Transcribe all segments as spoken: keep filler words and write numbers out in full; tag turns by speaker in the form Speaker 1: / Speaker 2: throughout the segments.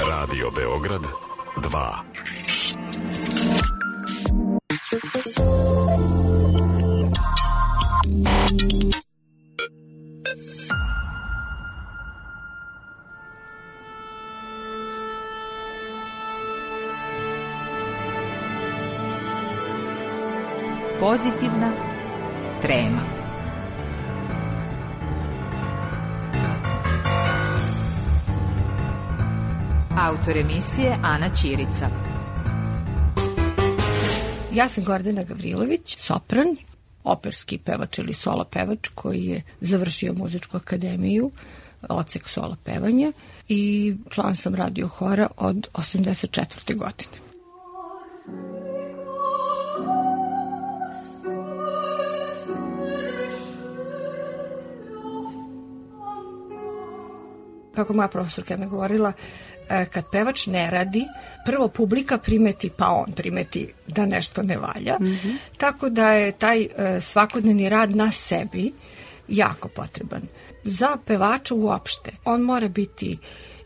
Speaker 1: Radio Beograd dva.
Speaker 2: Pozitivna trema. Autor emisije Ana Ćirica.
Speaker 3: Ja sam Gordana Gavrilović, sopran, operski pevač ili solo pevač koji je završio muzičku akademiju, odsek solo pevanja, i član sam radio hora od osamdeset četvrte godine. Kako moja profesorka mi govorila, kad pevač ne radi, prvo publika primeti, pa on primeti da nešto ne valja. Mm-hmm. Tako da je taj svakodnevni rad na sebi jako potreban. Za pevača uopšte, on mora biti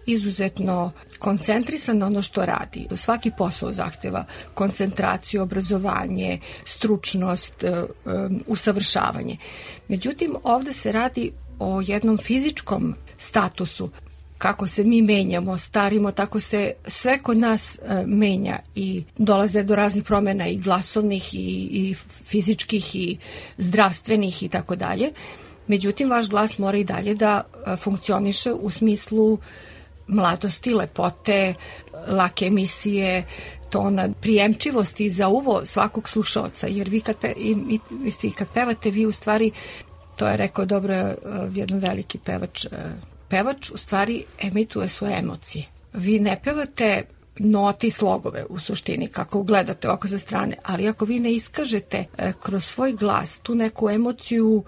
Speaker 3: izuzetno koncentrisan na ono što radi. Svaki posao zahteva koncentraciju, obrazovanje, stručnost, usavršavanje. Međutim, ovde se radi o jednom fizičkom statusu. Kako se mi menjamo, starimo, tako se sve kod nas e, menja i dolaze do raznih promjena i glasovnih i, i fizičkih i zdravstvenih i tako dalje. Međutim, vaš glas mora i dalje da e, funkcioniše u smislu mladosti, lepote, lake emisije, tona, prijemčivosti za uvo svakog slušaoca. Jer vi kad, pe, i, i, i kad pevate, vi u stvari, to je rekao dobro e, jedan veliki pevač, e, pevač u stvari emituje svoje emocije. Vi ne pevate note i slogove u suštini, kako gledate oko sa strane, ali ako vi ne iskažete e, kroz svoj glas tu neku emociju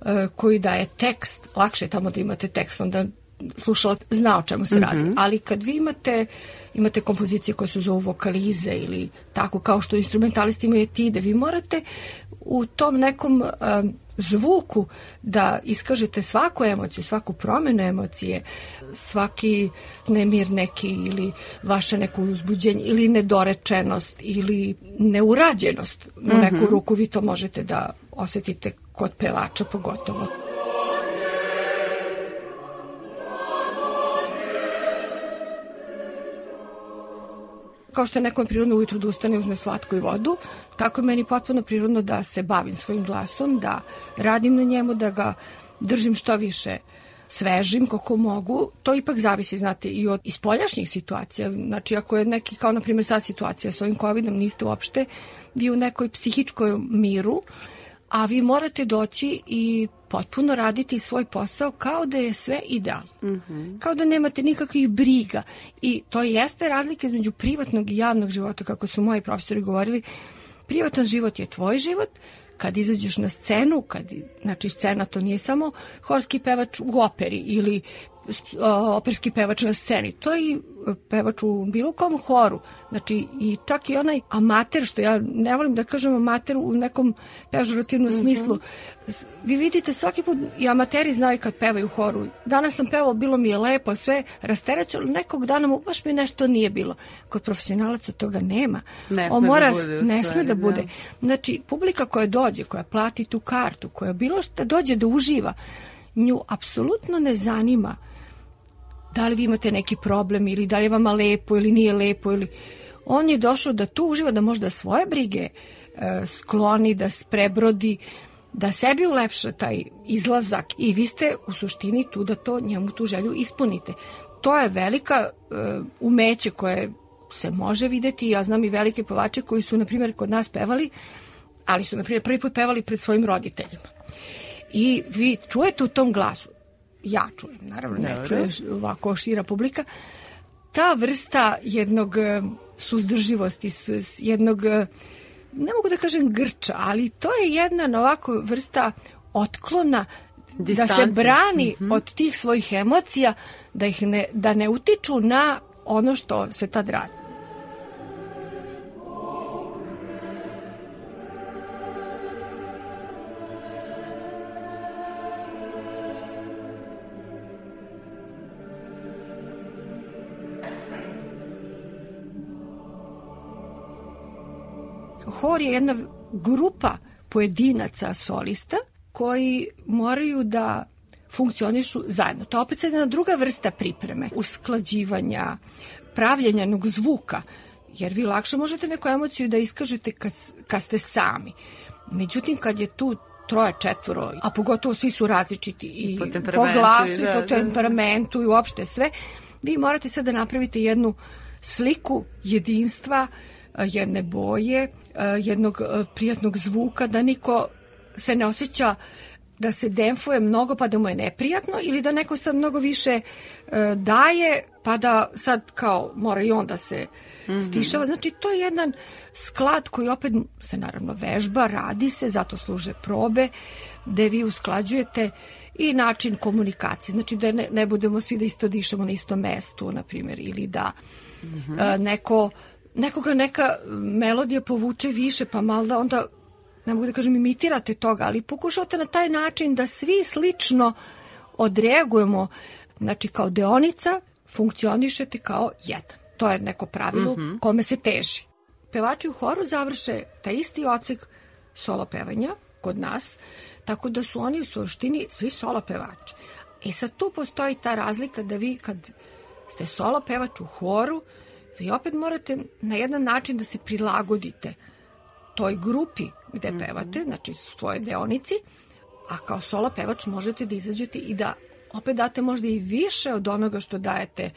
Speaker 3: e, koju daje tekst, lakše je tamo da imate tekst, onda slušalac zna o čemu se radi. Mm-hmm. Ali kad vi imate, imate kompozicije koje su zovu vokalize ili tako, kao što instrumentalisti imaju etide, vi morate u tom nekom e, zvuku da iskažete svaku emociju, svaku promjenu emocije, svaki nemir neki ili vaše neko uzbuđenje ili nedorečenost ili neurađenost na neku mm-hmm. ruku, vi to možete da osjetite kod pevača pogotovo. Kao što je nekom prirodno ujutru da ustane, uzme slatku i vodu, tako je meni potpuno prirodno da se bavim svojim glasom, da radim na njemu, da ga držim što više svežim koliko mogu. To ipak zavisi, znate, i od ispoljašnjih situacija. Znači, ako je neki, kao na primjer sad situacija s ovim covidom, niste uopšte vi u nekoj psihičkoj miru, a vi morate doći i potpuno raditi svoj posao kao da je sve idealno. Mm-hmm. Kao da nemate nikakvih briga. I to jeste razlika između privatnog i javnog života, kako su moji profesori govorili. Privatan život je tvoj život. Kad izađeš na scenu, kad, znači scena to nije samo horski pevač u operi ili operski pevač na sceni. To je i pevač u bilo kom horu. Znači, i čak i onaj amater, što ja ne volim da kažem amater u nekom pežorativnom mm-hmm. smislu. Vi vidite, svaki put i amateri znaju kad pevaju u horu. Danas sam pevao, bilo mi je lepo, sve rasterećeno, nekog dana mu baš mi nešto nije bilo. Kod profesionalaca toga nema.
Speaker 4: Ne
Speaker 3: On
Speaker 4: sme
Speaker 3: mora,
Speaker 4: da bude.
Speaker 3: Ne sme da bude.
Speaker 4: Da.
Speaker 3: Znači, publika koja dođe, koja plati tu kartu, koja bilo što dođe da uživa, nju apsolutno ne zanima da li vi imate neki problem ili da li je vama lepo ili nije lepo. Ili... On je došao da tu uživa, da možda svoje brige e, skloni, da prebrodi, da sebi ulepša taj izlazak i vi ste u suštini tu da to njemu tu želju ispunite. To je velika e, umeće koje se može videti. Ja znam i velike pevače koji su, na primjer, kod nas pevali, ali su, na primjer, prvi put pevali pred svojim roditeljima. I vi čujete u tom glasu, ja čujem, naravno ne čuje ovako šira publika, ta vrsta jednog suzdrživosti, jednog, ne mogu da kažem grča, ali to je jedna ovako vrsta otklona, distance, da se brani mm-hmm. od tih svojih emocija, da ih ne, da ne utiču na ono što se tad radi. Hor je jedna grupa pojedinaca solista koji moraju da funkcionišu zajedno. To je opet jedna druga vrsta pripreme, usklađivanja, pravljenja jednog zvuka, jer vi lakše možete neku emociju da iskažete kad, kad ste sami. Međutim, kad je tu troje, četvoro, a pogotovo svi su različiti i po, po glasu i, da, i po temperamentu i uopšte sve, vi morate sad da napravite jednu sliku jedinstva, jedne boje, jednog prijatnog zvuka, da niko se ne osjeća da se demfuje mnogo pa da mu je neprijatno ili da neko sad mnogo više daje pa da sad kao mora i on da se stišava. Znači to je jedan sklad koji opet se naravno vežba, radi se, zato služe probe, gde vi usklađujete i način komunikacije. Znači da ne, ne budemo svi da isto dišemo na istom mestu, na primjer, ili da mm-hmm. a, neko, nekoga neka melodija povuče više, pa malo da onda, ne mogu da kažem imitirate toga, ali pokušavate na taj način da svi slično odreagujemo, znači kao deonica funkcionišete kao jedan. To je neko pravilo mm-hmm. kome se teži. Pevači u horu završe taj isti odsek solo pevanja kod nas, tako da su oni u suštini svi solo pevači. E sad tu postoji ta razlika da vi kad ste solo pevač u horu, vi opet morate na jedan način da se prilagodite toj grupi gde mm-hmm. pevate, znači svoje deonici, a kao solo pevač možete da izađete i da opet date možda i više od onoga što dajete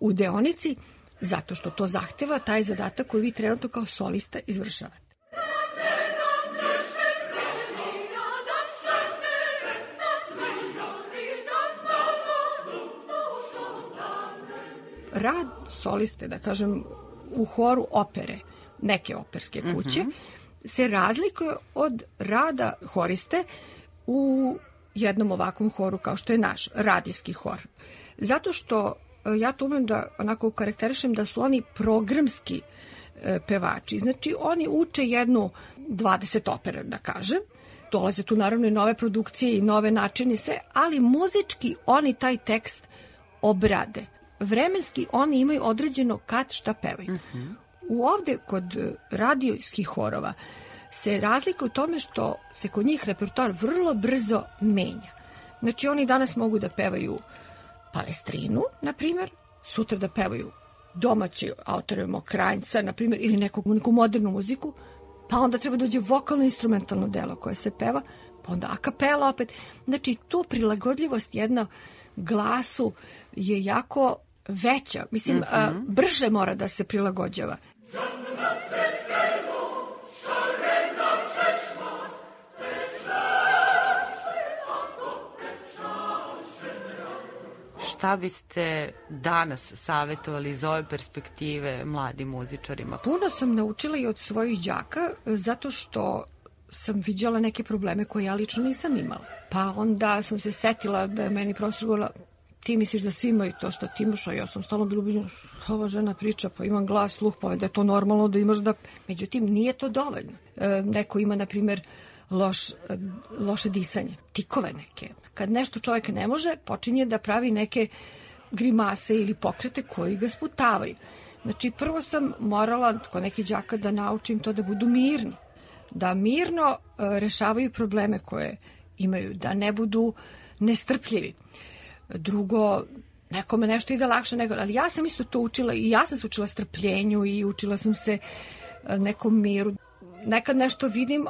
Speaker 3: u deonici, zato što to zahteva taj zadatak koji vi trenutno kao solista izvršavate. Rad soliste, da kažem, u horu opere, neke operske kuće, mm-hmm. se razlikuje od rada horiste u jednom ovakvom horu kao što je naš radijski hor. Zato što ja to umem da onako karakterišem da su oni programski e, pevači. Znači oni uče jednu dvadeset opera, da kažem. Dolaze tu naravno i nove produkcije i nove načine sve, ali muzički oni taj tekst obrade. Vremenski oni imaju određeno kad šta pevaju. Mm-hmm. U ovde kod radijskih horova se razlika u tome što se kod njih repertoar vrlo brzo menja. Znači oni danas mogu da pevaju Palestrinu, na primjer, sutra da pevaju domaći autore Mokranjca, na primjer, ili neku, neku modernu muziku, pa onda treba dođe vokalno-instrumentalno delo koje se peva, pa onda a kapela opet. Znači, tu prilagodljivost jedna glasu je jako veća. Mislim, mm-hmm. a, brže mora da se prilagođava.
Speaker 4: Šta biste danas savjetovali iz ove perspektive mladim muzičarima?
Speaker 3: Puno sam naučila i od svojih đaka, zato što sam viđala neke probleme koje ja lično nisam imala. Pa onda sam se setila da je meni profesor govorila, ti misliš da svi imaju to što ti imaš, a ja sam stalno bila ubeđena, ova žena priča, pa imam glas, sluh, pa da je to normalno da imaš da... Međutim, nije to dovoljno. E, neko ima, na primjer, loš, loše disanje, tikove neke. Kad nešto čovjek ne može, počinje da pravi neke grimase ili pokrete koji ga sputavaju. Znači, prvo sam morala kod nekih đaka da naučim to da budu mirni. Da mirno e, rešavaju probleme koje imaju, da ne budu nestrpljivi. Drugo, nekome nešto ide lakše nego... Ali ja sam isto to učila i ja sam se učila strpljenju i učila sam se nekom miru. Nekad nešto vidim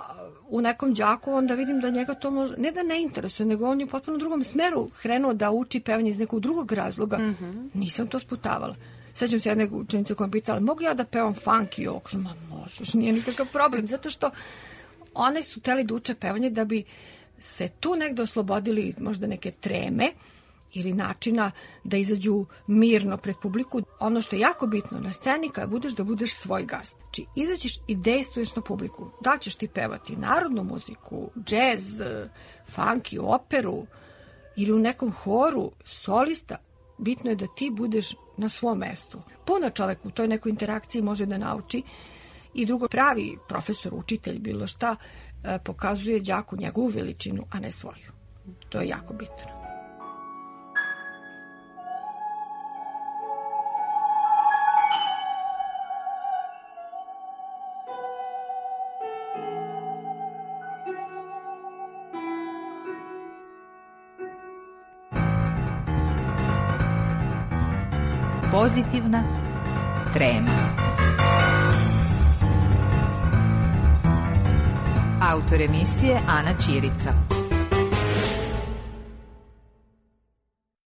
Speaker 3: u nekom đaku, onda vidim da njega to može... Ne da ne interesuje, nego on je u potpuno drugom smeru krenuo da uči pevanje iz nekog drugog razloga. Mm-hmm. Nisam to sputavala. Sećam se jedne učenice koja me pitala, mogu ja da pevam funk i ovo? Kažem, ma možeš, nije nikakav problem. Zato što one su teli da uče pevanje da bi se tu negde oslobodili možda neke treme ili načina da izađu mirno pred publiku. Ono što je jako bitno na sceni kada budeš, da budeš svoj gast. Znači, izađeš i dejstvuješ na publiku. Da li ćeš ti pevati narodnu muziku, džez, funky, operu ili u nekom horu, solista, bitno je da ti budeš na svom mestu. Puno čovek u toj nekoj interakciji može da nauči i drugo, pravi profesor, učitelj, bilo šta, pokazuje đaku njegovu veličinu, a ne svoju. To je jako bitno.
Speaker 2: Pozitivna trema. Autor emisije Ana Ćirica.